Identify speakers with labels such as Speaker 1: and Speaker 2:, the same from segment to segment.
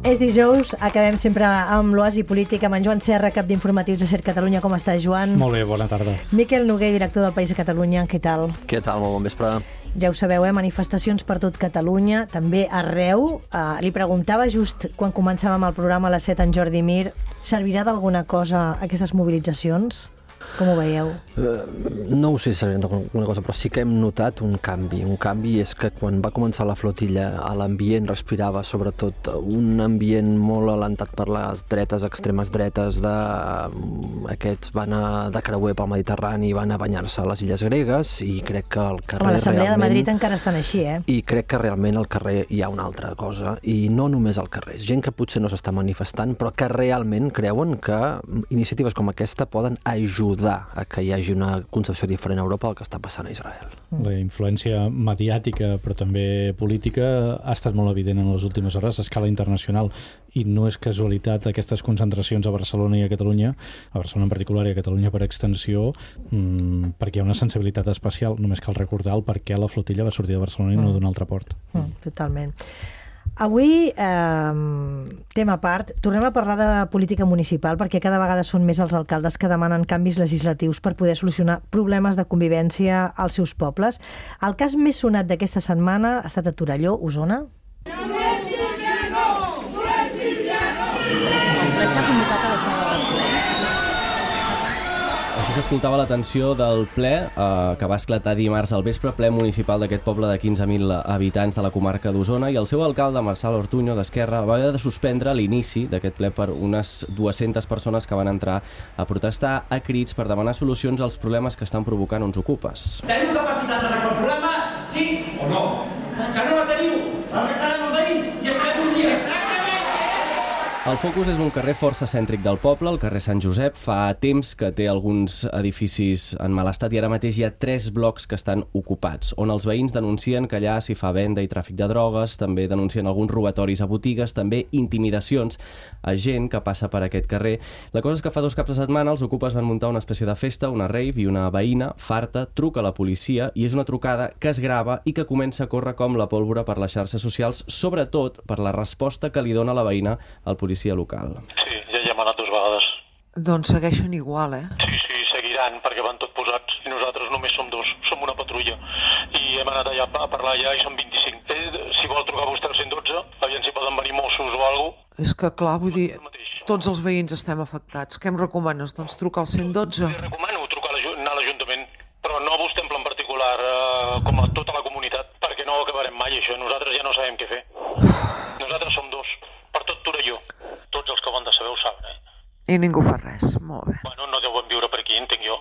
Speaker 1: És dijous, acabem sempre amb l'Oasi Polític, amb en Joan Serra, cap d'informatius de SER Catalunya. Com estàs, Joan?
Speaker 2: Molt bé, bona tarda.
Speaker 1: Miquel Noguer, director del País de Catalunya. Què tal?
Speaker 3: Què tal? Molt bon vespre.
Speaker 1: Ja ho sabeu, manifestacions per tot Catalunya, també arreu. Li preguntava just quan començàvem el programa a les 7 en Jordi Mir, servirà d'alguna cosa aquestes mobilitzacions? Com ho veieu?
Speaker 3: No ho sé si servirà d'alguna cosa, però sí que hem notat un canvi. Un canvi és que quan va començar la flotilla, l'ambient respirava sobretot un ambient molt alentat per les dretes, extremes dretes, aquests van de creuer pel Mediterrani i van a banyar-se a les illes gregues, i crec que al carrer
Speaker 1: l'Assemblea de Madrid encara estan així,
Speaker 3: I crec que realment al carrer hi ha una altra cosa, i no només al carrer. És gent que potser no s'està manifestant, però que realment creuen que iniciatives com aquesta poden ajudar a que hi hagi una concepció diferent a Europa del que està passant a Israel.
Speaker 2: La influència mediàtica, però també política, ha estat molt evident en les últimes hores a escala internacional, i no és casualitat aquestes concentracions a Barcelona i a Catalunya, a Barcelona en particular i a Catalunya per extensió, perquè hi ha una sensibilitat especial. Només cal recordar el per què la flotilla va sortir de Barcelona i no d'un altre port.
Speaker 1: Totalment. Avui, tema a part, tornem a parlar de política municipal, perquè cada vegada són més els alcaldes que demanen canvis legislatius per poder solucionar problemes de convivència als seus pobles. El cas més sonat d'aquesta setmana ha estat a Torelló, Osona.
Speaker 4: S'ha convocat a la sala de plens.
Speaker 5: Així s'escoltava la tensió del ple que va esclatar dimarts al vespre, ple municipal d'aquest poble de 15.000 habitants de la comarca d'Osona, i el seu alcalde, Marçal Ortuño, d'Esquerra, va haver de suspendre l'inici d'aquest ple per unes 200 persones que van entrar a protestar a crits per demanar solucions als problemes que estan provocant uns ocupes.
Speaker 6: Teniu capacitat d'arreglar el problema? Sí o no? Que no la teniu? L'arreglarem amb veïns i farem un dia.
Speaker 5: El focus és un carrer força cèntric del poble, el carrer Sant Josep. Fa temps que té alguns edificis en mal estat i ara mateix hi ha 3 blocs que estan ocupats, on els veïns denuncien que allà s'hi fa venda i tràfic de drogues, també denuncien alguns robatoris a botigues, també intimidacions a gent que passa per aquest carrer. La cosa és que fa 2 caps de setmana els ocupes van muntar una espècie de festa, una rave, i una veïna, farta, truca a la policia, i és una trucada que es grava i que comença a córrer com la pólvora per les xarxes socials, sobretot per la resposta que li dona la veïna al policia local.
Speaker 7: Sí, ja hi hem anat 2 vegades.
Speaker 8: Doncs segueixen igual,
Speaker 7: Sí, seguiran, perquè van tot posats. I nosaltres només som 2, som una patrulla. I hem anat allà a parlar allà i som 25. Si vol trucar vostè al 112, aviam si poden venir Mossos o alguna cosa.
Speaker 8: És que, clar, vull dir, tots els veïns estem afectats. Què em recomanes? Doncs trucar al 112?
Speaker 7: Li recomano trucar anar a l'Ajuntament, però no a vostè en plan particular, com a tota la comunitat, perquè no ho acabarem mai, això. Nosaltres ja no sabem què fer. Nosaltres som 2, per tot Torelló. Tots els que ho han de saber ho saben,
Speaker 8: I ningú fa res, molt bé.
Speaker 7: Bueno, no deuen viure per aquí, entenc jo.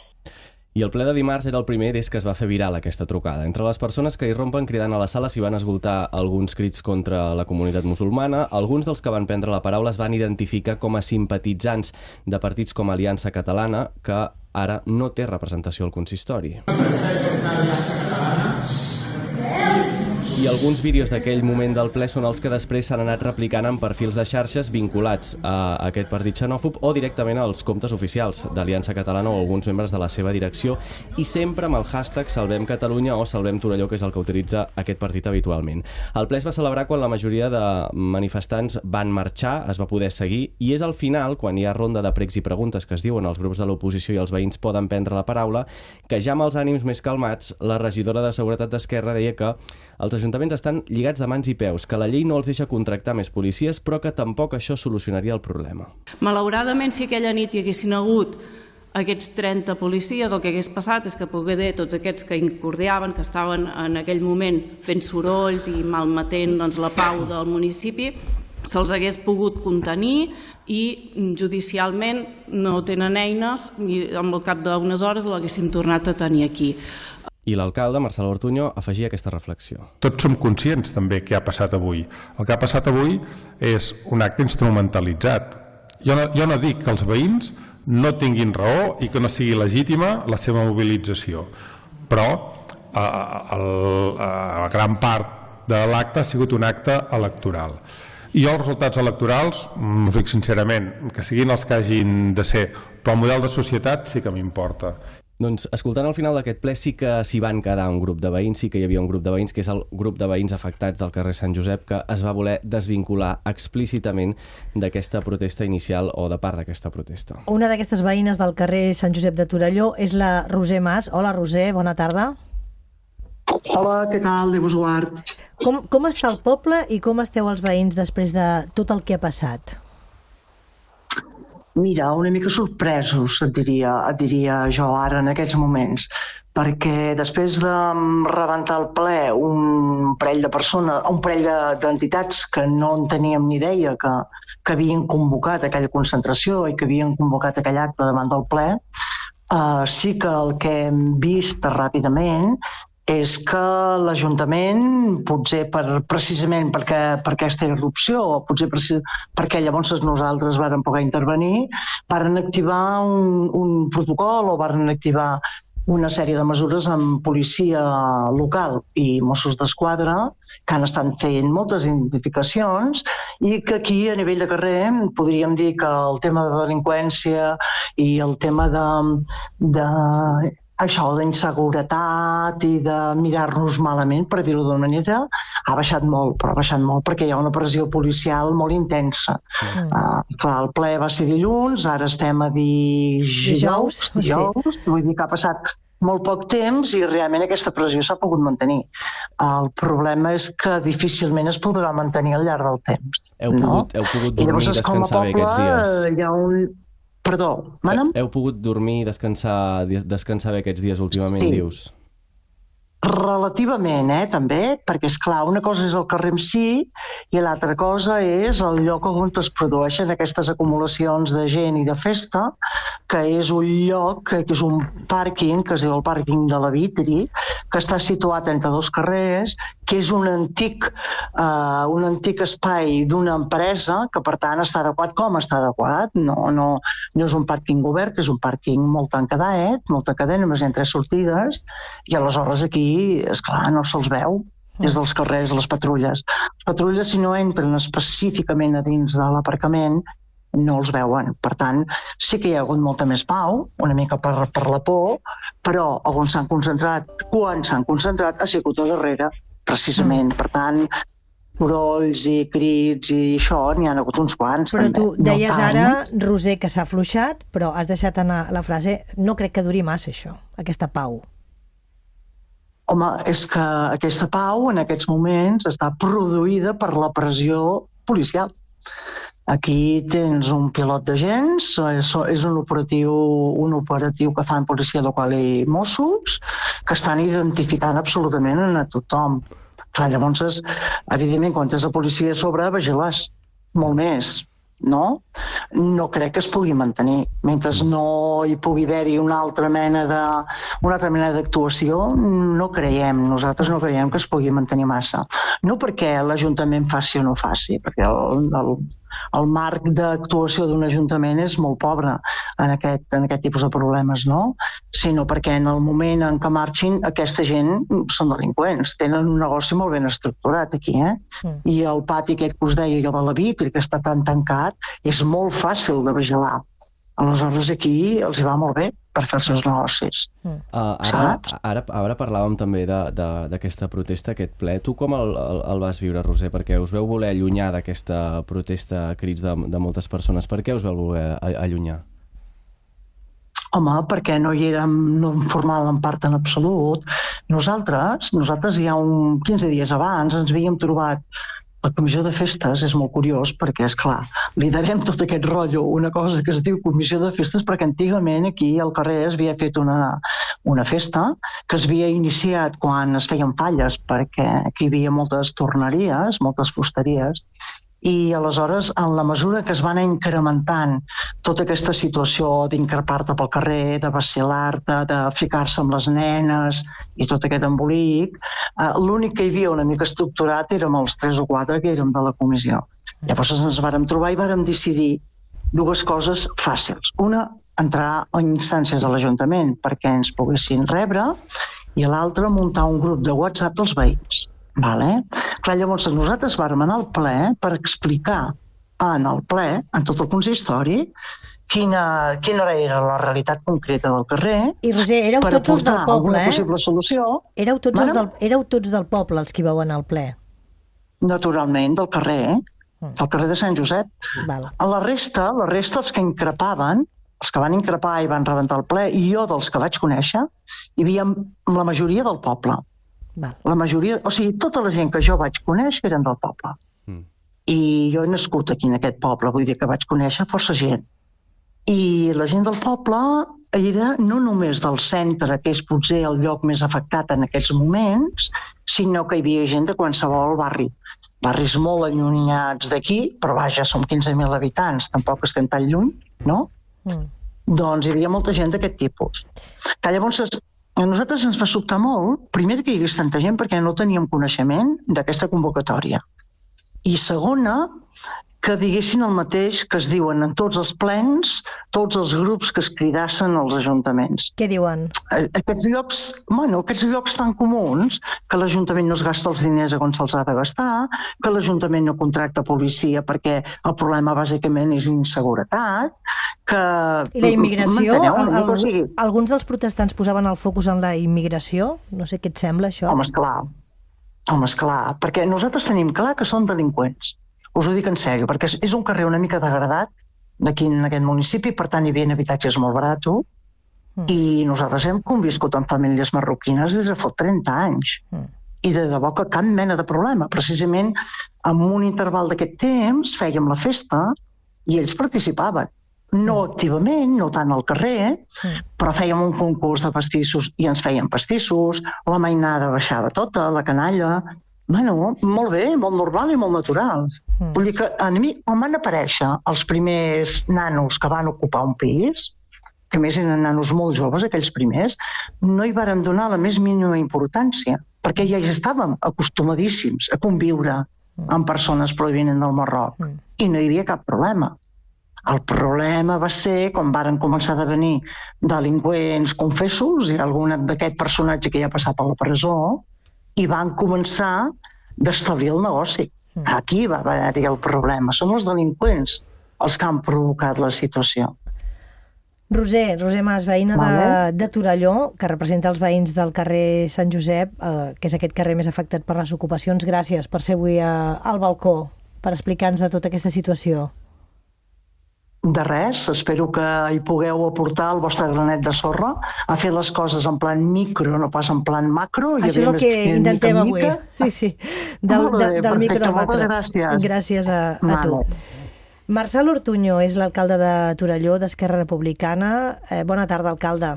Speaker 5: I el ple de dimarts era el primer des que es va fer viral aquesta trucada. Entre les persones que hi rompen cridant a la sala s'hi van escoltar alguns crits contra la comunitat musulmana. Alguns dels que van prendre la paraula es van identificar com a simpatitzants de partits com Aliança Catalana, que ara no té representació al consistori. I alguns vídeos d'aquell moment del ple són els que després s'han anat replicant en perfils de xarxes vinculats a aquest partit xenòfob o directament als comptes oficials d'Aliança Catalana o alguns membres de la seva direcció, i sempre amb el hashtag Salvem Catalunya o Salvem Torelló, que és el que utilitza aquest partit habitualment. El ple es va celebrar quan la majoria de manifestants van marxar, es va poder seguir, i és al final, quan hi ha ronda de pregs i preguntes que es diuen els grups de l'oposició i els veïns poden prendre la paraula, que ja amb els ànims més calmats, la regidora de Seguretat d'Esquerra deia que els ajuntaments estan lligats de mans i peus, que la llei no els deixa contractar més policies, però que tampoc això solucionaria el problema.
Speaker 4: Malauradament, si aquella nit hi haguessin hagut aquests 30 policies, el que hagués passat és que poder tots aquests que incordiaven, que estaven en aquell moment fent sorolls i malmetent la pau del municipi, se'ls hagués pogut contenir i judicialment no tenen eines i al cap d'unes hores l'haguéssim tornat a tenir aquí.
Speaker 5: I l'alcalde, Marçal Ortuño, afegia aquesta reflexió.
Speaker 9: Tots som conscients també què ha passat avui. El que ha passat avui és un acte instrumentalitzat. Jo no dic que els veïns no tinguin raó i que no sigui legítima la seva mobilització, però la gran part de l'acte ha sigut un acte electoral. I jo els resultats electorals, us dic sincerament, que siguin els que hagin de ser, però el model de societat sí que m'importa.
Speaker 5: Doncs escoltant al final d'aquest ple sí que s'hi van quedar un grup de veïns, sí que hi havia un grup de veïns, que és el grup de veïns afectats del carrer Sant Josep, que es va voler desvincular explícitament d'aquesta protesta inicial o de part d'aquesta protesta.
Speaker 1: Una d'aquestes veïnes del carrer Sant Josep de Torelló és la Roser Mas. Hola, Roser, bona tarda.
Speaker 10: Hola, què tal? Déu vos guard.
Speaker 1: Com està el poble i com esteu els veïns després de tot el que ha passat?
Speaker 10: Mira, una mica sorpresos, et diria jo ara en aquests moments, perquè després de rebentar el ple un parell de persones, un parell d'entitats que no en teníem ni idea que havien convocat aquella concentració i que havien convocat aquell acte davant del ple, sí que el que hem vist ràpidament és que l'Ajuntament, potser precisament per aquesta irrupció, o potser perquè llavors nosaltres vàrem poder intervenir, varen activar un protocol o varen activar una sèrie de mesures amb policia local i Mossos d'Esquadra, que han estat fent moltes identificacions i que aquí, a nivell de carrer, podríem dir que el tema de delinqüència i el tema això d'inseguretat i de mirar-nos malament, per dir-ho d'una manera, ha baixat molt, però ha baixat molt perquè hi ha una pressió policial molt intensa. Clar, el ple va ser dilluns, ara estem a dijous, vull dir que ha passat molt poc temps i realment aquesta pressió s'ha pogut mantenir. El problema és que difícilment es podrà mantenir al llarg del temps.
Speaker 5: Heu pogut dormir i descansar bé aquests dies?
Speaker 10: Hi ha un... Perdó, mana'm?
Speaker 5: Heu pogut dormir i descansar bé aquests dies últimament, dius?
Speaker 10: Relativament, també, perquè, esclar, una cosa és el carrer en si i l'altra cosa és el lloc on es produeixen aquestes acumulacions de gent i de festa, que és un lloc, que és un pàrquing, que es diu el pàrquing de la Vitri, que està situat entre dos carrers, que és un antic espai d'una empresa, que per tant està adequat com està adequat. No és un pàrquing obert, és un pàrquing molt tancadet, només hi ha 3 sortides, i aleshores aquí, esclar, no se'ls veu des dels carrers, les patrulles. Les patrulles, si no entren específicament a dins de l'aparcament, no els veuen. Per tant, sí que hi ha hagut molta més pau, una mica per la por, però on s'han concentrat, quan s'han concentrat, ha sigut a darrere, precisament. Per tant, sorolls i crits i això, n'hi ha hagut uns quants.
Speaker 1: Però tu deies ara, Roser, que s'ha afluixat, però has deixat anar la frase, no crec que duri massa això, aquesta pau.
Speaker 10: Home, és que aquesta pau en aquests moments està produïda per la pressió policial. Aquí tens un pilot d'agents, és un operatiu que fan policia local i Mossos, que estan identificant absolutament a tothom. Clar, llavors, evidentment, quan tens la policia a sobre, vigiles molt més. No crec que es pugui mantenir. Mentre no hi pugui haver-hi una altra mena d'actuació, nosaltres no creiem que es pugui mantenir massa. No perquè l'Ajuntament faci o no faci, perquè el marc d'actuació d'un ajuntament és molt pobre en aquest tipus de problemes, no? Sinó perquè en el moment en què marxin aquesta gent són delinqüents, tenen un negoci molt ben estructurat aquí, I el pati aquest que us deia jo de la Vitri, que està tan tancat, és molt fàcil de vigilar. Aleshores aquí els hi va molt bé per fer els seus negocis.
Speaker 5: Ara parlàvem també d'aquesta protesta, aquest ple. Tu com el vas viure, Roser? Perquè us veu voler allunyar d'aquesta protesta a crits de moltes persones. Per què us veu voler allunyar?
Speaker 10: Home, perquè no en formàvem part en absolut. Nosaltres ja 15 dies abans ens havíem trobat. La comissió de festes és molt curiós perquè, esclar, liderem tot aquest rotllo, una cosa que es diu comissió de festes, perquè antigament aquí al carrer es havia fet una festa que es havia iniciat quan es feien falles, perquè aquí hi havia moltes torneries, moltes fusteries, i aleshores, en la mesura que es va anar incrementant tota aquesta situació d'increpar-te pel carrer, de vacilar-te, de ficar-se amb les nenes i tot aquest embolic, l'únic que hi havia una mica estructurat érem els 3 o 4 que érem de la comissió. Llavors ens vàrem trobar i vàrem decidir 2 coses fàcils. Una, entrar en instàncies de l'Ajuntament perquè ens poguessin rebre, i l'altra, muntar un grup de WhatsApp dels veïns. Clar, llavors nosaltres vàrem anar al ple per explicar en el ple, en tot el consistori, quina era la realitat concreta del carrer.
Speaker 1: I Roser, éreu tots els del poble,
Speaker 10: possible solució.
Speaker 1: Éreu tots del poble els que vau anar al ple?
Speaker 10: Naturalment, del carrer, del carrer de Sant Josep.
Speaker 1: Val.
Speaker 10: A la resta, els que increpaven, els que van increpar i van rebentar el ple, i jo dels que vaig conèixer, hi havia la majoria del poble.
Speaker 1: Val.
Speaker 10: La majoria, o sigui, tota la gent que jo vaig conèixer eren del poble. I jo he nascut aquí en aquest poble, vull dir que vaig conèixer força gent. I la gent del poble era no només del centre, que és potser el lloc més afectat en aquells moments, sinó que hi havia gent de qualsevol barri. Barris molt allunyats d'aquí, però vaja, som 15.000 habitants, tampoc estem tan lluny, no? Doncs hi havia molta gent d'aquest tipus. Que llavors a nosaltres ens va sobtar molt, primer que hi hagués tanta gent perquè no teníem coneixement d'aquesta convocatòria. I segona, que diguessin el mateix que es diuen en tots els plens, tots els grups que es cridassen als ajuntaments.
Speaker 1: Què diuen?
Speaker 10: Aquests llocs tan comuns, que l'Ajuntament no es gasta els diners on se'ls ha de gastar, que l'Ajuntament no contracta policia perquè el problema bàsicament és inseguretat, que...
Speaker 1: I la immigració? Alguns dels protestants posaven el focus en la immigració? No sé què et sembla, això?
Speaker 10: Home, esclar, perquè nosaltres tenim clar que són delinqüents. Us ho dic en sèrio, perquè és un carrer una mica degradat d'aquí en aquest municipi, per tant hi havia habitatges molt baratos, i nosaltres hem conviscut amb famílies marroquines des de fa 30 anys. I de debò que cap mena de problema. Precisament en un interval d'aquest temps fèiem la festa i ells participaven. No activament, no tant al carrer, però fèiem un concurs de pastissos i ens feien pastissos, la mainada baixava tota, la canalla... Bueno, molt bé, molt normal i molt natural. Vull dir que a mi, quan van aparèixer els primers nanos que van ocupar un pis, que a més eren nanos molt joves, aquells primers, no hi varen donar la més mínima importància, perquè ja estàvem acostumadíssims a conviure amb persones provinents del Marroc i no hi havia cap problema. El problema va ser quan varen començar a venir delinqüents confessos i algun d'aquest personatge que ja ha passat per la presó, i van començar d'establir el negoci. Aquí va haver-hi el problema. Són els delinqüents els que han provocat la situació.
Speaker 1: Roser Mas, veïna de Torelló, que representa els veïns del carrer Sant Josep, que és aquest carrer més afectat per les ocupacions. Gràcies per ser avui al balcó, per explicar-nos tota aquesta situació.
Speaker 10: De res, espero que hi pugueu aportar el vostre granet de sorra a fer les coses en plan micro, no pas en plan macro.
Speaker 1: Això és el que intentem avui. Sí. Del micro al macro.
Speaker 10: Moltes gràcies.
Speaker 1: Gràcies a tu. Marçal Ortuño és l'alcalde de Torelló, d'Esquerra Republicana. Bona tarda, alcalde.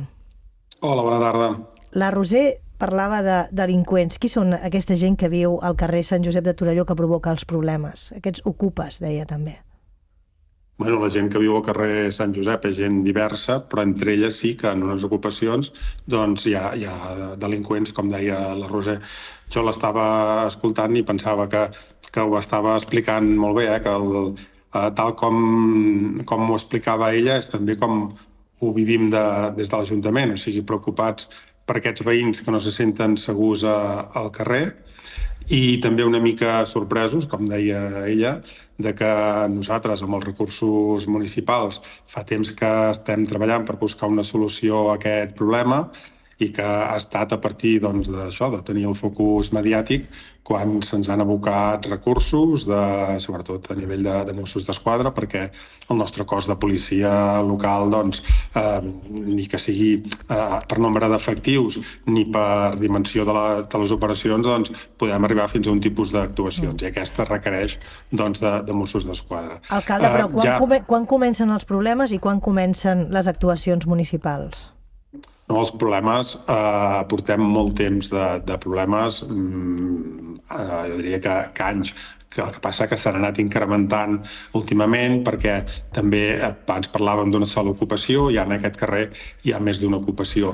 Speaker 9: Hola, bona tarda.
Speaker 1: La Roser parlava de delinqüents. Qui són aquesta gent que viu al carrer Sant Josep de Torelló que provoca els problemes? Aquests ocupes, deia també.
Speaker 9: Bueno, la gent que viu al carrer Sant Josep és gent diversa, però entre elles sí que en unes ocupacions doncs, hi ha delinqüents, com deia la Roser. Jo l'estava escoltant i pensava que ho estava explicant molt bé, que tal com ho explicava ella és també com ho vivim des de l'Ajuntament, o sigui, preocupats per aquests veïns que no se senten segurs al carrer i també una mica sorpresos, com deia ella, de que nosaltres, amb els recursos municipals, fa temps que estem treballant per buscar una solució a aquest problema i que ha estat a partir d'això, de tenir el focus mediàtic, quan se'ns han abocat recursos, sobretot a nivell de Mossos d'Esquadra, perquè el nostre cos de policia local, ni que sigui per nombre d'efectius ni per dimensió de les operacions, podem arribar fins a un tipus d'actuacions, i aquesta requereix de Mossos d'Esquadra.
Speaker 1: Alcalde, però quan comencen els problemes i quan comencen les actuacions municipals?
Speaker 9: No, els problemes, portem molt temps de problemes, jo diria que anys. El que passa que s'han anat incrementant últimament perquè també abans parlàvem d'una sola ocupació i en aquest carrer hi ha més d'una ocupació.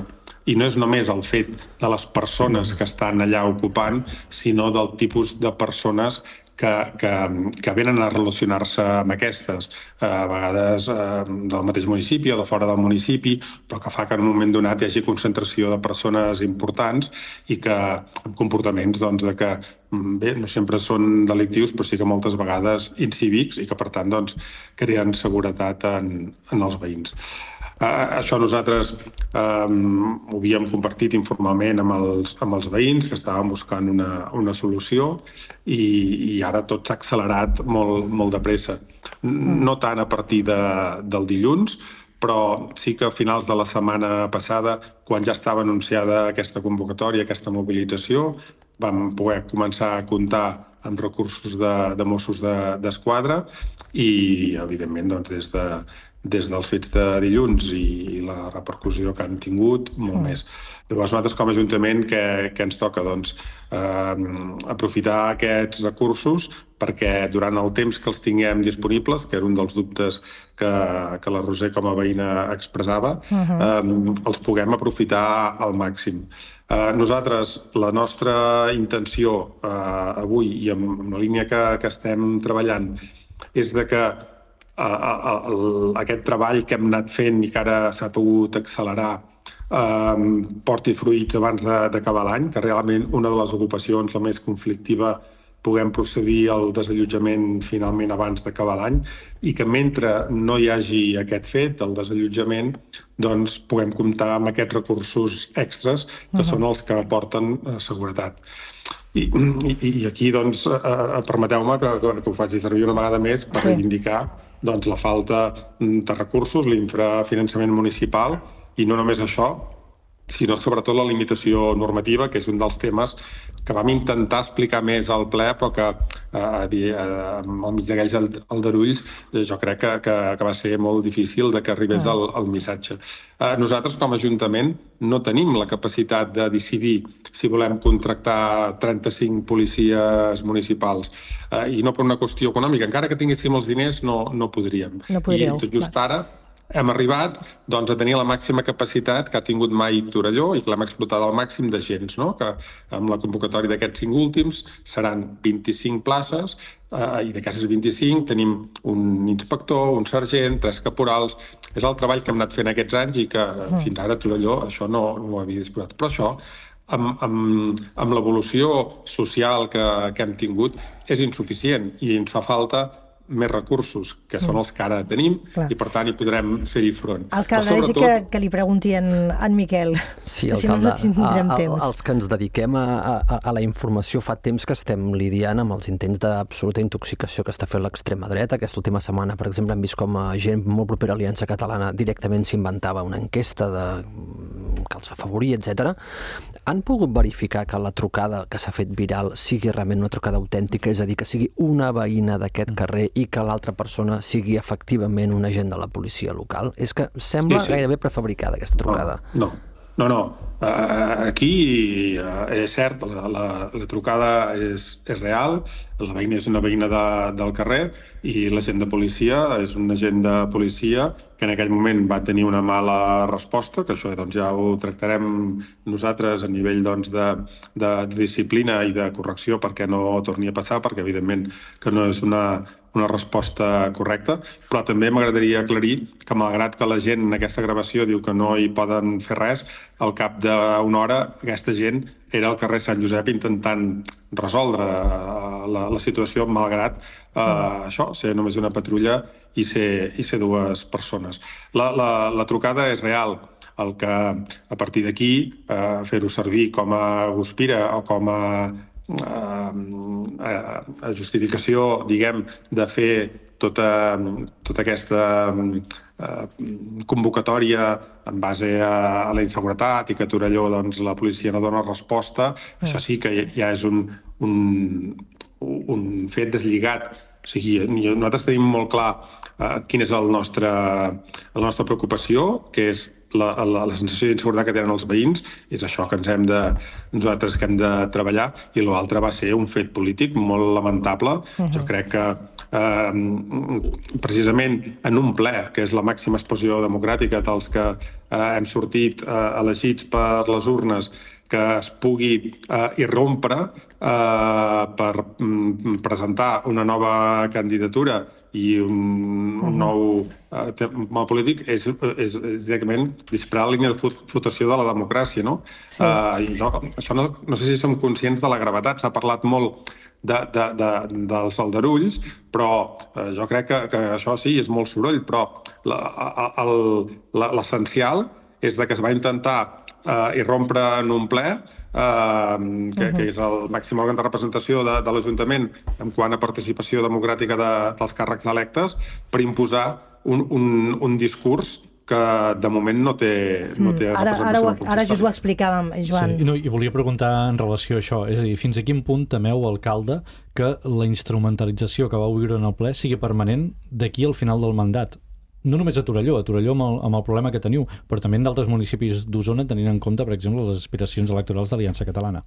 Speaker 9: I no és només el fet de les persones que estan allà ocupant, sinó del tipus de persones que venen a relacionar-se amb aquestes, a vegades del mateix municipi o de fora del municipi, però que fa que en un moment donat hi hagi concentració de persones importants i que amb comportaments de que bé, no sempre són delictius, però sí que moltes vegades incívics i que, per tant, creen seguretat en els veïns. Això nosaltres ho havíem compartit informalment amb els veïns, que estàvem buscant una solució i ara tot s'ha accelerat molt de pressa. No tant a partir del dilluns, però sí que a finals de la setmana passada, quan ja estava anunciada aquesta convocatòria, aquesta mobilització, vam poder començar a comptar amb recursos de Mossos d'Esquadra i, evidentment, des dels fets de dilluns i la repercussió que han tingut, molt més. Llavors, nosaltres com a Ajuntament, què ens toca? Aprofitar aquests recursos perquè durant el temps que els tinguem disponibles, que era un dels dubtes que la Roser com a veïna expressava, els puguem aprofitar al màxim. Nosaltres, la nostra intenció avui i amb la línia que estem treballant és que aquest treball que hem anat fent i que ara s'ha pogut accelerar porti fruits abans d'acabar l'any, que realment una de les ocupacions, la més conflictiva, puguem procedir al desallotjament finalment abans d'acabar l'any i que mentre no hi hagi aquest fet, el desallotjament, puguem comptar amb aquests recursos extras que són els que aporten seguretat. I aquí, permeteu-me que ho faci servir una vegada més per reivindicar la falta de recursos, l'infrafinançament municipal i no només això, sinó sobretot la limitació normativa, que és un dels temes que vam intentar explicar més al ple, però que al mig d'aquells aldarulls jo crec que va ser molt difícil que arribés el missatge. Nosaltres, com a Ajuntament, no tenim la capacitat de decidir si volem contractar 35 policies municipals, i no per una qüestió econòmica. Encara que tinguéssim els diners, no podríem. I tot just ara hem arribat a tenir la màxima capacitat que ha tingut mai Torelló i que l'hem explotat al màxim d'agents, que amb la convocatòria d'aquests 5 últims seran 25 places i d'aquestes 25 tenim un inspector, un sergent, 3 caporals. És el treball que hem anat fent aquests anys i que fins ara Torelló això no ho havia disposat. Però això, amb l'evolució social que hem tingut, és insuficient i ens fa falta més recursos, que són els que ara tenim, i per tant hi podrem fer-hi front.
Speaker 1: Alcalde, deixi que li pregunti en Miquel.
Speaker 3: Sí, alcalde, els que ens dediquem a la informació fa temps que estem lidiant amb els intents d'absoluta intoxicació que està fent l'extrema dreta. Aquesta última setmana, per exemple, hem vist com gent molt propera a Aliança Catalana directament s'inventava una enquesta que els afavoria, etc. Han pogut verificar que la trucada que s'ha fet viral sigui realment una trucada autèntica, és a dir, que sigui una veïna d'aquest carrer i que l'altra persona sigui efectivament un agent de la policia local? És que sembla gairebé prefabricada aquesta trucada.
Speaker 9: No. Aquí és cert, la trucada és real, la veïna és una veïna del carrer i l'agent de policia és un agent de policia que en aquell moment va tenir una mala resposta, que això ja ho tractarem nosaltres a nivell de disciplina i de correcció perquè no torni a passar, perquè evidentment que no és una resposta correcta, però també m'agradaria aclarir que malgrat que la gent en aquesta gravació diu que no hi poden fer res, al cap d'una hora aquesta gent era al carrer Sant Josep intentant resoldre la situació malgrat això, ser només una patrulla i ser 2 persones. La trucada és real. El que a partir d'aquí fer-ho servir com a guspira o com a justificació, diguem, de fer tota aquesta convocatòria en base a la inseguretat i que a Torelló la policia no dona resposta, això sí que ja és un fet deslligat. O sigui, nosaltres tenim molt clar quina és la nostra preocupació, que és la sensació d'inseguretat que tenen els veïns, és això que nosaltres que hem de treballar, i l'altre va ser un fet polític molt lamentable. Jo crec que precisament en un ple, que és la màxima expressió democràtica dels que hem sortit elegits per les urnes, que es pugui irrompre per presentar una nova candidatura i un nou tema polític és directament disparar la línia de flotació de la democràcia, no? Això no sé si som conscients de la gravetat. S'ha parlat molt dels aldarulls, però jo crec que això sí, és molt soroll, però l'essencial és que es va intentar irrompre en un ple, que és el màxim òrgan de representació de l'Ajuntament en quant a participació democràtica dels càrrecs electes, per imposar un discurs que de moment no té representació.
Speaker 1: Ara just ho explicàvem, Joan.
Speaker 2: Sí, i volia preguntar en relació a això, és a dir, fins a quin punt temeu, alcalde, que la instrumentalització que vau viure en el ple sigui permanent d'aquí al final del mandat? No només a Torelló amb el problema que teniu, però també en d'altres municipis d'Osona, tenint en compte, per exemple, les aspiracions electorals d'Aliança Catalana.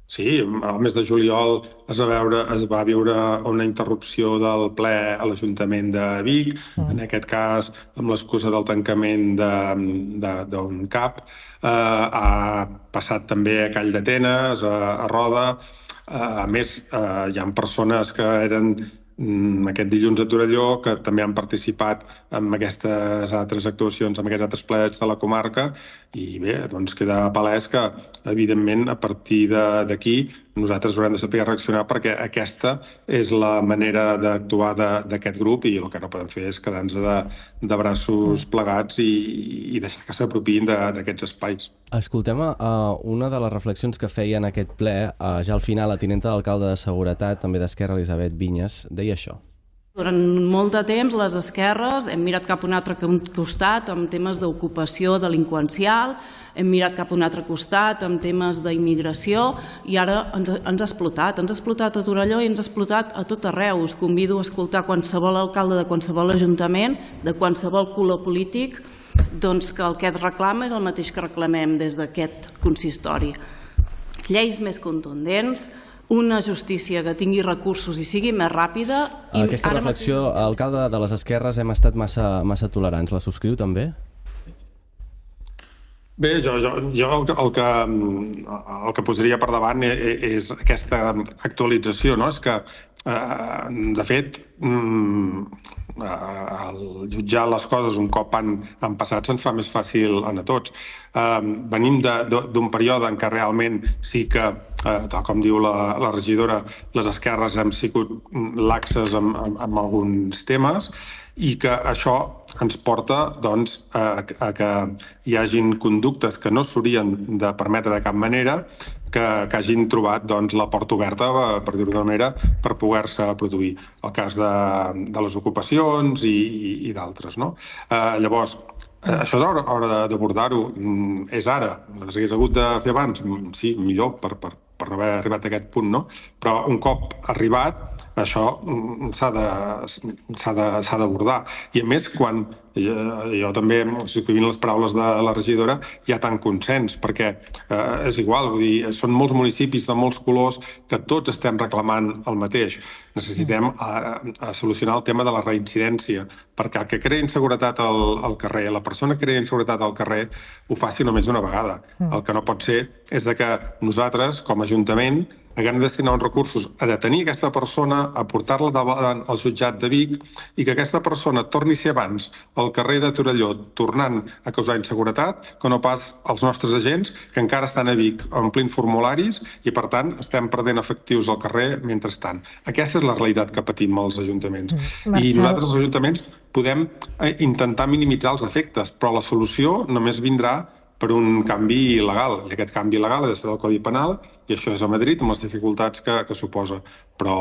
Speaker 9: Sí, al mes de juliol es va viure una interrupció del ple a l'Ajuntament de Vic, en aquest cas amb l'excusa del tancament d'un CAP. Ha passat també a Call d'Atenes, a Roda. A més, hi ha persones que eren aquest dilluns a Torelló que també han participat en aquestes altres actuacions, en aquests altres plets de la comarca, i bé, doncs queda palès que, evidentment, a partir d'aquí nosaltres haurem de saber reaccionar, perquè aquesta és la manera d'actuar d'aquest grup, i el que no podem fer és quedar-nos de braços plegats i deixar que s'apropiïn d'aquests espais.
Speaker 5: Escoltem una de les reflexions que feia en aquest ple, ja al final, la tinenta d'alcalde de Seguretat, també d'Esquerra, Elisabet Vinyes, deia això.
Speaker 4: Durant molt de temps les esquerres hem mirat cap a un altre costat amb temes d'ocupació delinqüencial, hem mirat cap a un altre costat amb temes d'immigració, i ara ens ha explotat. Ens ha explotat a Torelló i ens ha explotat a tot arreu. Us convido a escoltar qualsevol alcalde de qualsevol ajuntament, de qualsevol color polític, doncs que el que et reclama és el mateix que reclamem des d'aquest consistori. Lleis més contundents, una justícia que tingui recursos i sigui més ràpida.
Speaker 5: Aquesta reflexió, alcalde de les esquerres, hem estat massa tolerants. La subscriu també?
Speaker 9: Bé, jo el que posaria per davant és aquesta actualització, no? És que, de fet, jutjar les coses un cop han passat se'ns fa més fàcil a tots. Venim d'un període en què realment sí que, tal com diu la regidora, les esquerres hem sigut laxes amb alguns temes, i que això ens porta doncs, a que hi hagin conductes que no s'haurien de permetre de cap manera, que hagin trobat la porta oberta, per dir-ho d'una manera, per poder-se produir. El cas de les ocupacions i d'altres. Llavors, això és hora d'abordar-ho. És ara. S'hagués hagut de fer abans? Sí, millor, per no haver arribat a aquest punt, no? Però un cop arribat, això s'ha d'abordar. I a més, quan jo també, subscrivint les paraules de la regidora, hi ha tant consens, perquè és igual, vull dir, són molts municipis de molts colors que tots estem reclamant el mateix. Necessitem solucionar el tema de la reincidència, perquè el que crea inseguretat al carrer, la persona que crea inseguretat al carrer, ho faci només una vegada. El que no pot ser és que nosaltres, com a Ajuntament, haguem de destinar uns recursos a detenir aquesta persona, a portar-la davant al jutjat de Vic, i que aquesta persona torni a ser abans al carrer de Torelló tornant a causar inseguretat que no pas els nostres agents, que encara estan a Vic omplint formularis i, per tant, estem perdent efectius al carrer mentrestant. Aquesta és la realitat que patim els ajuntaments. I nosaltres, els ajuntaments, podem intentar minimitzar els efectes, però la solució només vindrà per un canvi legal. I aquest canvi legal ha de ser del Codi Penal, i això és a Madrid, amb les dificultats que suposa. Però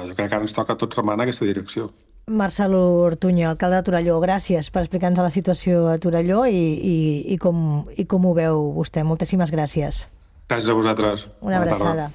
Speaker 9: jo crec que ara ens toca a tots remar en aquesta direcció.
Speaker 1: Marcel Ortuño, alcalde de Torelló, gràcies per explicar-nos la situació a Torelló i com ho veu vostè. Moltíssimes gràcies.
Speaker 9: Gràcies a vosaltres.
Speaker 1: Una abraçada.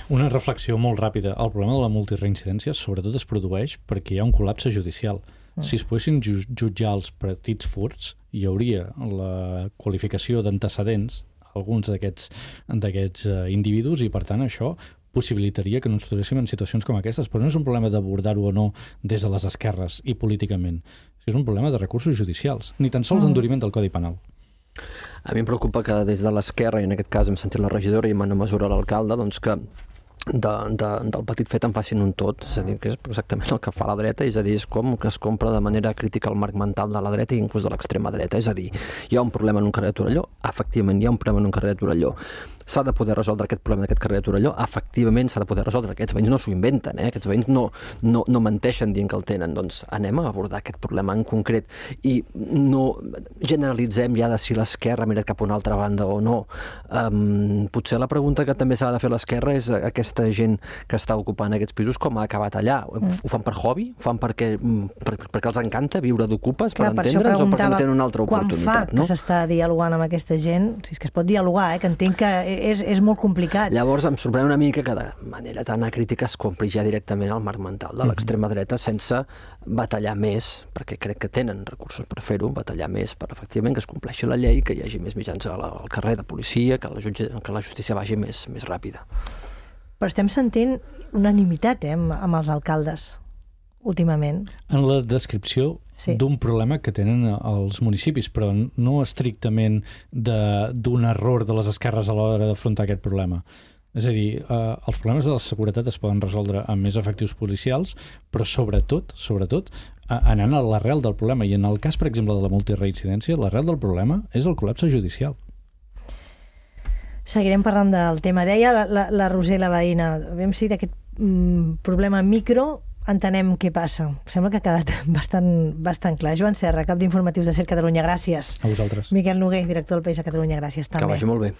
Speaker 2: Una reflexió molt ràpida. El problema de la multireincidència sobretot es produeix perquè hi ha un col·lapse judicial. Si es poguessin jutjar els petits furts, hi hauria la qualificació d'antecedents alguns d'aquests individus, i per tant això possibilitaria que no ens trobéssim en situacions com aquestes. Però no és un problema d'abordar-ho o no des de les esquerres i políticament. És un problema de recursos judicials, ni tan sols d'enduriment del Codi Penal.
Speaker 3: A mi em preocupa que des de l'esquerra, i en aquest cas hem sentit la regidora i en una mesura l'alcalde, doncs que del petit fet en facin un tot, és a dir, que és exactament el que fa la dreta, és a dir, és com que es compra de manera crítica el marc mental de la dreta i inclús de l'extrema dreta, és a dir, hi ha un problema en un carrer de Torelló, efectivament hi ha un problema en un carrer de Torelló, s'ha de poder resoldre aquest problema d'aquest carrer de Torelló, efectivament s'ha de poder resoldre, aquests veïns no s'ho inventen, aquests veïns no menteixen dient que el tenen, doncs anem a abordar aquest problema en concret i no generalitzem ja de si l'esquerra ha mirat cap a una altra banda o no. Potser la pregunta que també s'ha de fer l'esquerra és aquesta gent que està ocupant aquests pisos com ha acabat allà. Ho fan per hobby? Ho fan perquè els encanta viure d'ocupes, per entendre'ns, o perquè no tenen una altra oportunitat?
Speaker 1: Quan fa que s'està dialogant amb aquesta gent? Si és que es pot dialogar, que entenc que és molt complicat.
Speaker 3: Llavors em sorprèn una mica que de manera tan acrítica es compri ja directament el marc mental de l'extrema dreta sense batallar més, perquè crec que tenen recursos per fer-ho, batallar més per efectivament que es compleixi la llei, que hi hagi més mitjans al carrer de policia, que la justícia vagi més ràpida.
Speaker 1: Però estem sentint unanimitat amb els alcaldes últimament.
Speaker 2: En la descripció d'un problema que tenen els municipis, però no estrictament d'un error de les esquerres a l'hora d'afrontar aquest problema. És a dir, els problemes de la seguretat es poden resoldre amb més efectius policials, però sobretot anant a l'arrel del problema. I en el cas, per exemple, de la multireincidència, l'arrel del problema és el col·lapse judicial.
Speaker 1: Seguirem parlant del tema. Deia la Roser, la veïna, aviam si d'aquest problema micro entenem què passa. Sembla que ha quedat bastant clar. Joan Serra, cap d'informatius de SER Catalunya, gràcies.
Speaker 2: A vosaltres.
Speaker 1: Miquel Noguer, director del País a Catalunya, gràcies també.
Speaker 3: Que vagi molt bé.